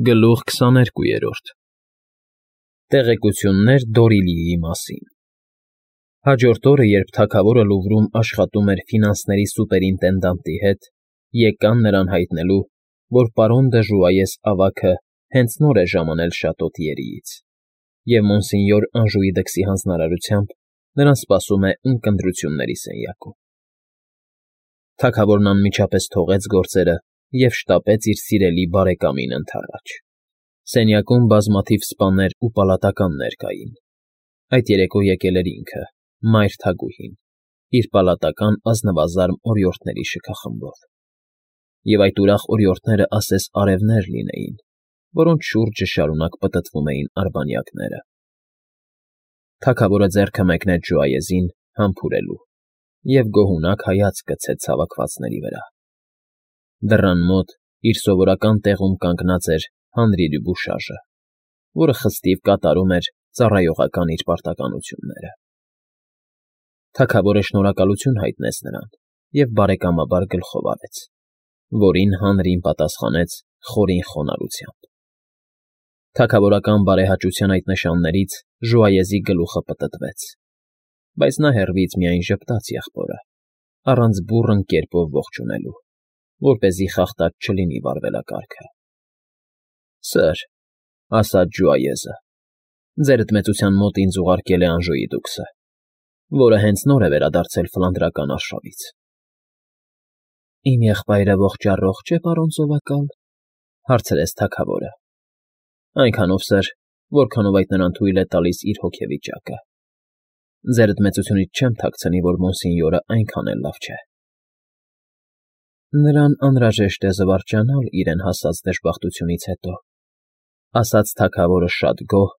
Գլուխ 22 Տեղեկություններ Դորիլիի մասին Հաջորդ օրը, երբ թագավորը Լուվրում աշխատում էր ֆինանսների սուպերինտենդանտի հետ, եկան նրան հայտնելու, որ պարոն դը Ժուայես ավագը հենց նոր է ժամանել Շատո Թիերիից, և մոնսենյոր Անժուի դքսի հանձնարարությամբ նրան սպասում է ունկնդրությունների սենյակում։ Թագավորն անմիջապես թողեց գործերը և շտապեց իր սիրելի բարեկամին ընդառաջ։ Սենյակում բազմաթիվ սպաներ ու պալատականներ կային։ Այդ երեկո եկել էր ինքը, մայր թագուհին, իր պալատական ազնվազարմ օրիորդների շքախմբով։ Եվ այդ ուրախ օրիորդները ասես արևներ լինեին, որոնց շուրջը շարունակ պտտվում էին արբանյակները։ Թագավորը ձեռքը մեկնեց Ժուայեզին համբուրելու և գոհունակ հայացք գցեց հավաքվածների վրա։ Դռան մոտ իր սովորական տեղում կանգնած էր Հանրի Դյուբուշաժը, որը խստիվ կատարում էր ծառայողական իր պարտականությունները։ Թագավորը շնորհակալություն հայտնեց նրան և բարեկամաբար գլխով արեց, որին Հանրին պատասխանեց խորին խոնարհությամբ։ Թագավորական բարեհաճության այդ նշաններից Ժուայեզի գլուխը պտտվեց, բայց նա հեռվից միայն ժպտաց եղբորը, առանց բուռն կերպով ողջունելու, որպեսզի խախտած չլինի վարվելակարգը։ Սըր, ֊ ասաց Ժուայեզը, ֊ ձեր դմեցության մոտ ինձ ուղարկել է Անժուի դուքսը, որը հենց նոր է վերադարձել Ֆլանդրական արշավից։ Իմ եղբայրը ողջ֊առողջ է, պարոն սովակալ, ֊ հարցրեց թագավորը։ Այնքանով, սըր, որքանով այդ նրան թույլ է տալիս իր հոգեվիճակը։ Ձեր դմեցությունից չեմ թաքցնի, որ մոնսենյորը այնքան էլ լավ չէ։ Նրան անհրաժեշտ է զվարճանալ իրեն հասած դժբախտությունից հետո, ֊ ասաց թագավորը շատ գոհ,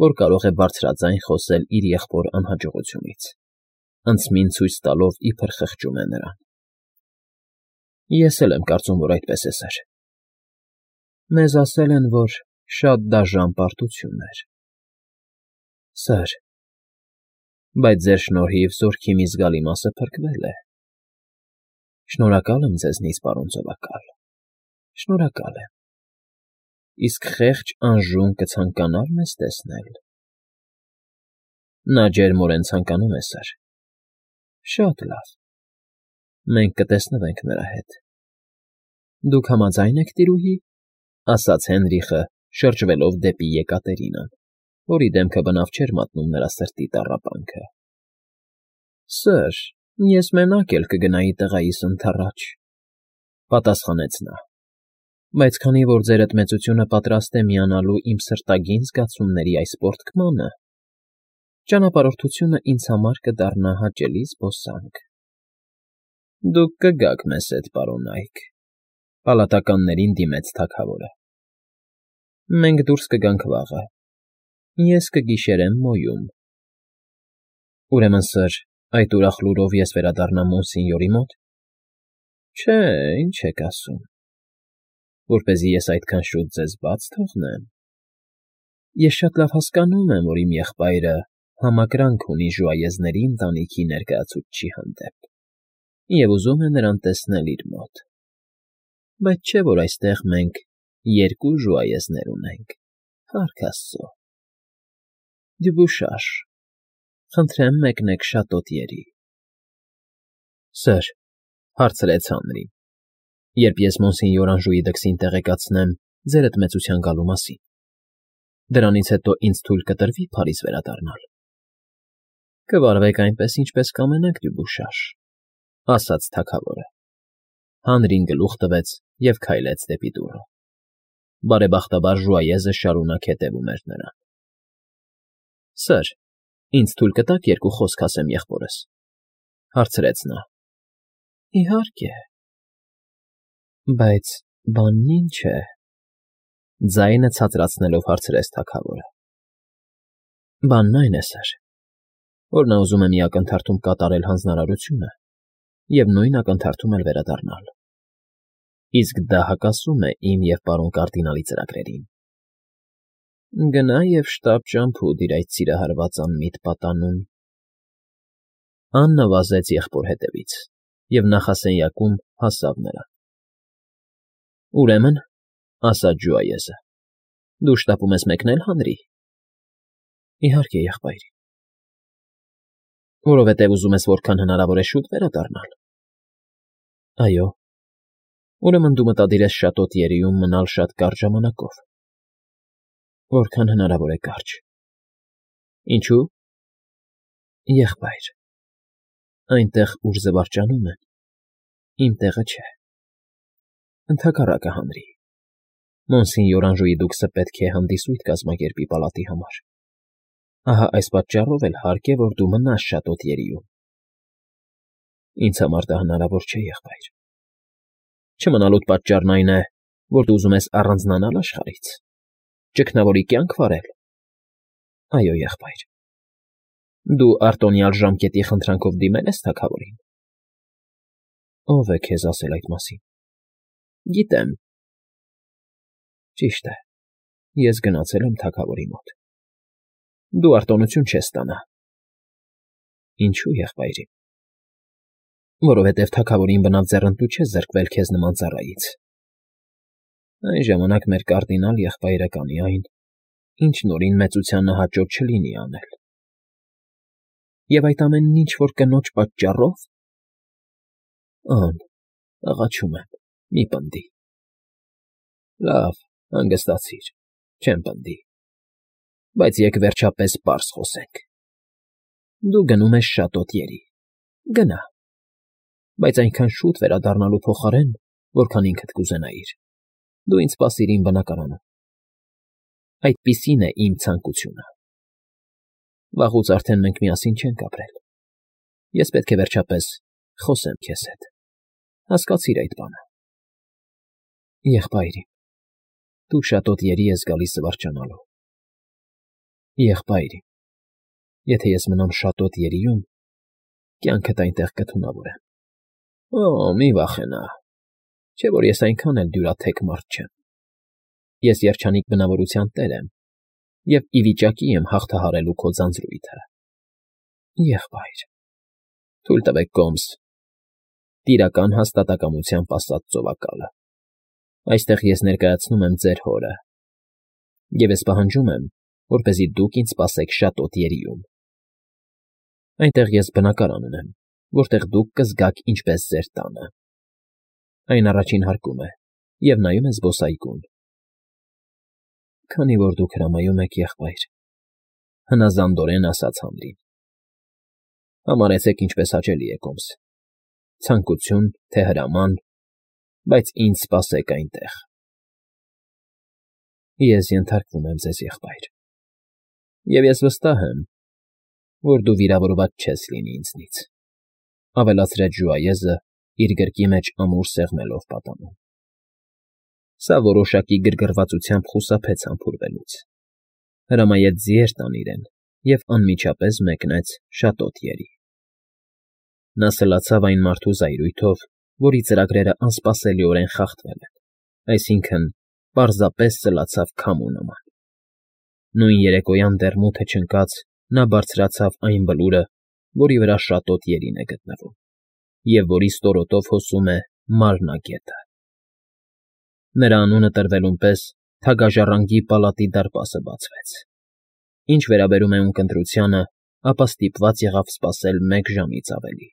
որ կարող է բարձրաձայն խոսել իր եղբոր անհաջողությունից, անցմին ցույց տալով, իբր խղճում է նրան։ Ես էլ եմ կարծում, որ այդպես է, սըր։ Մեզ ասել են, որ շատ դաժան պարտություն էր։ Սըր, բայց ձեր շնորհիվ զորքի մի զգալի մասը փրկվել է։ Շնորհակալ եմ ձեզնից, պարոն սովակալ, շնորհակալ եմ։ Իսկ խեղճ Անժուն կցանկանա՞ր մեզ տեսնել։ Նա ջերմորեն ցանկանում է, սըր։ Շատ լավ։ Մենք կտեսնվենք նրա հետ։ Դուք համաձա՞յն եք, տիրուհի, ֊ ասաց Հենրիխը, շրջվելով դեպի Եկատերինան, որի դեմքը բնավ չէր մատնում նրա սրտի տառապանքը։ Սըր, ես մենակ էլ կգնայի տղայիս ընդառաջ, ֊ պատասխանեց նա, բայց քանի որ ձեր դմեցությունը պատրաստ է միանալու իմ սրտագին զգացումների այս պոռթկմանը, ճանապարհորդությունը ինձ համար կդառնա հաճելի զբոսանք։ Դուք կգաք մեզ հետ, պարոն Այք, ֊ պալատականներին դիմեց թագավորը։ Մենք դուրս կգանք վաղը։ Ես կգիշերեմ Մոյում։ Ուրեմն, սըր, այդ ուրախ լուրով ես վերադառնամ մոնսենյորի մոտ։ Չէ, ինչ եք ասում, որպեսզի ես այդքան շուտ ձեզ բաց թողնեմ։ Ես շատ լավ հասկանում եմ, որ իմ եղբայրը համակրանք ունի Ժուայեզների ընտանիքի ներկայացուցչի հանդեպ և ուզում է նրան տեսնել իր մոտ։ Բայց չէ՞ որ այստեղ մենք երկու Ժուայեզներ ունենք, փառք Աստծո։ Դյուբուշաժ, խնդրեմ մեկնեք Շատո Թիերի։ Սըր, ֊ հարցրեց Հանրին, ֊ երբ ես մոնսենյոր Անժուի դքսին տեղեկացնեմ ձեր դմեցության գալու մասին, դրանից հետո ինձ թույլ կտրվի Փարիզ վերադառնալ։ Կվարվեք այնպես, ինչպես կամենաք, Դյուբուշաժ, ֊ ասաց թագավորը։ Հանրին գլուխ տվեց և քայլեց դեպի դուռը։ Բարեբախտաբար Ժուայեզը շարունակ հետևում էր նրան։ Սըր, ինձ թույլ կտաք երկու խոսք ասեմ եղբորս, ֊ հարցրեց նա։ Իհարկե։ Բայց բանն ի՞նչ է, ֊ ձայնը ցածրացնելով հարցրեց թագավորը։ Բանն այն է, սըր, որ նա ուզում է մի ակնթարթում կատարել հանձնարարությունը և նույն ակնթարթում էլ վերադառնալ։ Իսկ դա հակասում է իմ և պարոն կարդինալի ծրագրերին։ Գնա և շտապ ճամփու դիր այդ սիրահարված անմիտ պատանուն։ Աննը վազեց եղբոր հետևից և նախասենյակում հասավ նրան։ Ուրեմն, ֊ ասաց Ժուայեզը, Դու շտապում ես մեկնել, Հանրի։ Իհարկե, եղբայր։ Որովհետև ուզում ես որքան հնարավոր է շուտ վերադառնալ։ Այո։ Ուրեմն դու մտադիր ես Շատոտ Երիում մնալ շատ կարճ ժամանակով։ Որքան հնարավոր է կարճ։ Ինչու՞։ Եղբայր։ Այնտեղ, ուր զվարճանում են, իմ տեղը չէ։ Ընդհակառակը, Հանրի։ Մոնսինյոր Անժուի դուքսը պետք է հանդիսույթ կազմակերպի պալատի համար։ Ահա այս պատճառով էլ հարկ է, որ դու մնաս Շատոտ Երիում։ Ինձ համար դա հնարավոր չէ, եղբայր։ Չմնալուտ պատճառն այն է, որ դու ուզում ես առանձնանալ աշխարհից, ճգնավորի կյանք վարել։ Այո, եղբայր։ Դու արտոնյալ ժամկետի խնդրանքով դիմել ես թագավորին։ Ո՞վ է քեզ ասել այդ մասին։ Գիտեմ։ Ճիշտ է։ Ես գնացել եմ թագավորի մոտ։ Դու արտոնություն չես ստանա։ Ինչու, եղբայրի։ Որովհետև թագավորին բնավ ձեռնտու չէ զրկվել քեզ նման ծառայից։ Այն ժամանակ մեր կարդինալ եղբայրը կանի այն, ինչ նորին մեծությանը հաճոտ չլինի անել։ Եվ այդ ամենն ինչ-որ կնոջ պատճառով։ Ան, աղաչում եմ, մի պնդի։ Լավ, հանգստացիր, չեմ պնդի։ Բայց եկ վերջապես պարզ խոսենք։ Դու գնում ես Շատոտ Երի։ Գնա։ Բայց այնքան շուտ վերադառնալու փոխարեն, որքան ինքդ կուզենայիր, դու ինձ սպասիր իմ բնակարանում։ Այդպիսին է իմ ցանկությունը։ Վաղուց արդեն մենք միասին չենք ապրել։ Ես պետք է վերջապես խոսեմ քեզ հետ։ Հասկացիր այդ բանը։ Եղբայրի, դու Շատոտ Երի ես գալիս զվարճանալու։ Եղբայրի, եթե ես մնամ Շատոտ Երիում, կյանքդ այնտեղ կթունավորեմ։ Օ, մի վախենա, չէ՞ որ ես այնքան էլ դյուրաթեք մարդ չեմ։ Ես երջանիկ բնավորության տեր եմ և ի վիճակի եմ հաղթահարելու քո ձանձրույթը։ Եղբայր, թույլ տվեք կոմս, տիրական հաստատակամությամբ ասած ծովակալը։ Այստեղ ես ներկայացնում եմ ձեր հորը, և ես պահանջում եմ, որպեսզի դուք ինձ սպասեք Շատոտ Երիում։ Այնտեղ ես բնակարան ունեմ, որտեղ դուք կզգաք ինչպես ձեր տանը։ Այն առաջին հարկում է և նայում է զբոսայգուն։ Քանի որ դուք հրամայում եք, եղբայր, հնազանդորեն ասաց Հանրին։ Համարեցեք ինչպես հաճելի է կոմս։ Ցանկություն, թե հրաման, բայց ինձ սպասեք այնտեղ։ Ես ենթարկվում եմ ձեզ, եղբայր։ Եվ ես վստահ եմ, որ դու վիրավորված չես լինի ինձնից, ավելացրեց ժուայեզը, իր գրկի մեջ ամուր սեղմելով պատանում։ Սա որոշակի գրգռվածությամբ խուսափեց համբուրվելուց։ Հրամայեց ձիեր տան իրեն և անմիջապես մեկնեց Շատոտ Երի։ Նա սլացավ այն մարդու զայրույթով, որի ծրագրերը անսպասելիորեն խախտվել են, այսինքն պարզապես սլացավ քամու նման։ Նույն երեկոյան դեռ մութը չընկած նա բարձրացավ այն բլուրը, որի վրա Շատոտ Երին է գտնվում, և որի ստորոտով հոսում է Մարնա գետը։ Նրա անունը տրվելուն պես թագաժառանգի պալատի դարպասը բացվեց։ Ինչ վերաբերում է ունկնդրությանը, ապա ստիպված եղավ սպասել 1 ժամից ավելի։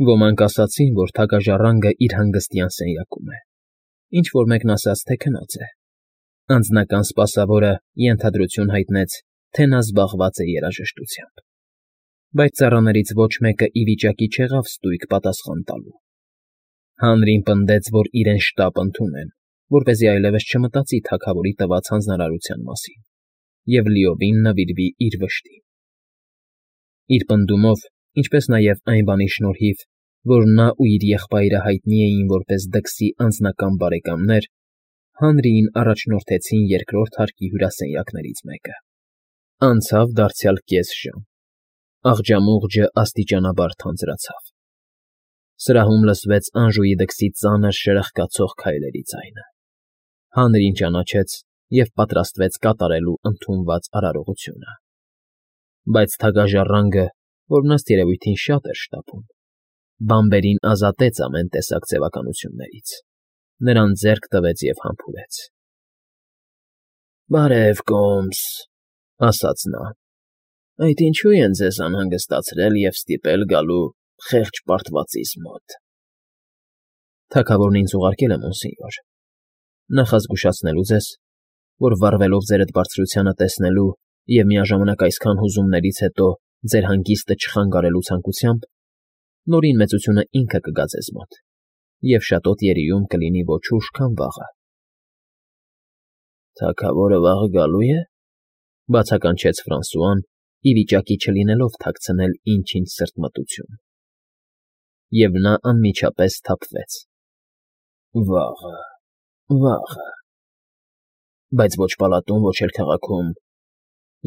Ոմանք ասացին, որ թագաժառանգը իր հանգստյան սենյակում է, ինչ֊որ մեկն ասաց, թե քնած է։ Անձնական սպասավորը ենթադրություն հայտնեց, թե նա զբաղված է երաժշտությամբ։ Բայց ծառաներից ոչ մեկը ի վիճակի չեղավ ստույգ պատասխան տալու։ Հանրին պնդեց, որ իրեն շտապ ընդունեն, որպեսզի այլևս չմտածի թագավորի տված հանձնարարության մասին և լիովին նվիրվի իր վշտին։ Իր պնդումով, ինչպես նաև այն բանի շնորհիվ, որ նա ու իր եղբայրը հայտնի էին որպես դքսի անձնական բարեկամներ, Հանրիին առաջնորդեցին երկրորդ հարկի հյուրասենյակներից մեկը։ Անցավ դարձյալ կես ժամ։ Աղջամուղջը աստիճանաբար թանձրացավ։ Սրահում լսվեց Անժուի դքսի ծանր շրխկացող քայլերի ձայնը։ Հանրին ճանաչեց և պատրաստվեց կատարելու ընդունված արարողությունը։ Բայց թագաժառանգը, որն ըստ երևույթին շատ էր շտապում, բանբերին ազատեց ամեն տեսակ ձևականություններից, նրան ձեռք տվեց և համբուրեց։ Բարև, Կոմս, ասաց նա։ Այդ ինչու են ձեզ անհանգստացրել և ստիպել գալու խեղճ պարտվածիս մոտ։ Թագավորն ինձ ուղարկել է, մոնսենյոր, նախազգուշացնելու ձեզ, որ վառվելով ձերդ բարձրությանը տեսնելու և միաժամանակ այսքան հուզումներից հետո ձեր հանգիստը չխանգարելու ցանկությամբ, Նորին Մեծությունը ինքը կգա ձեզ մոտ և շատոտ երիում կլինի ոչ ուշ, քան վաղը։ Թագավորը վաղը գալու է,֊ բացականչեց Ֆրանսուան, ի վիճակի չլինելով թաքցնել ինչ֊ինչ սրտմտություն։ Եվ նա անմիջապես սթափվեց։ Վաղը, վաղը… Բայց ոչ պալատում, ոչ էլ քաղաքում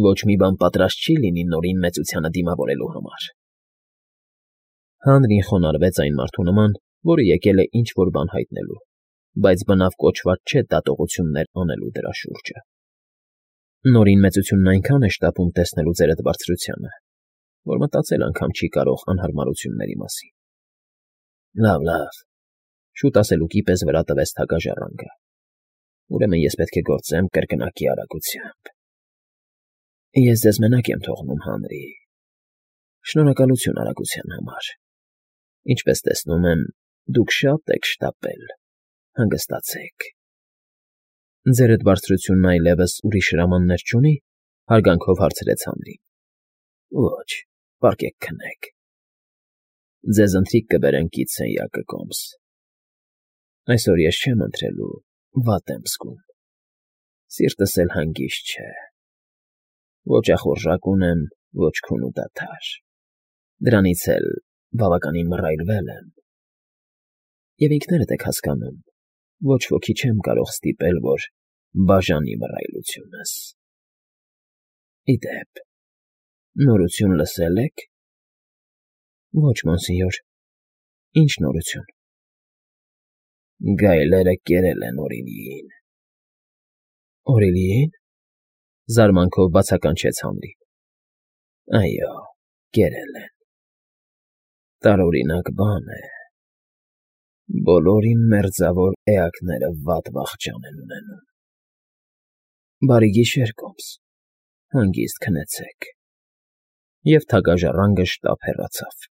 ոչ մի բան պատրաստ չի լինի Նորին Մեծությանը դիմավորելու համար։ Հանրին խոնարհվեց այն մարդու նման, որը եկել է ինչ֊որ բան հայտնելու, բայց բնավ կոչված չէ դատողություններ անելու դրա շուրջը։ Նորին Մեծությունն այնքան է շտապում տեսնելու ձերդ բարձրությանը, որ մտածել անգամ չի կարող անհարմարությունների մասին։ Լավ, լավ,֊ շուտ ասելուկի պես վրա տվեց թագաժառանգը։ Ուրեմն ես պետք է գործեմ կրկնակի արագությամբ։ Ես ձեզ մենակ եմ թողնում, Հանրի։ Շնորհակալություն արագության համար։ Ինչպես տեսնում եմ, դուք շատ եք շտապել։ Հանգստացեք։ Ձերդ բարձրությունն այլևս ուրիշ հրամաններ չունի,֊ հարգանքով հարցրեց Հանրին։ Ոչ, պառկեք քնեք։ Ձեզ ընթրիք կբերեն կից սենյակը, Կոմս։ Այսօր ես չեմ ընթրելու, վատ եմ զգում։ Սիրտս էլ հանգիստ չէ։ Ոչ ախորժակ ունեմ, ոչ քուն ու դադար։ Դրանից էլ բավականին մռայլվել եմ։ Եվ ինքներդ եք հասկանում, ոչ ոքի չեմ կարող ստիպել, որ բաժանի մռայլությունս։ Ի դեպ, նորություն լսե՞լ եք։ Ոչ, մոնսենյոր, ինչ նորություն։ Գայլերը կերել են Օրիլիին։ Օրիլիի՞ն,֊ զարմանքով բացականչեց Հանրին։ Այո, կերել են։ Տարօրինակ բան է։ Բոլոր իմ մերձավոր էակները վատ վախճան են ունենում։ Բարի գիշեր, Կոմս, հանգիստ քնեցեք։ Եվ թագաժառանգը շտապ հեռացավ։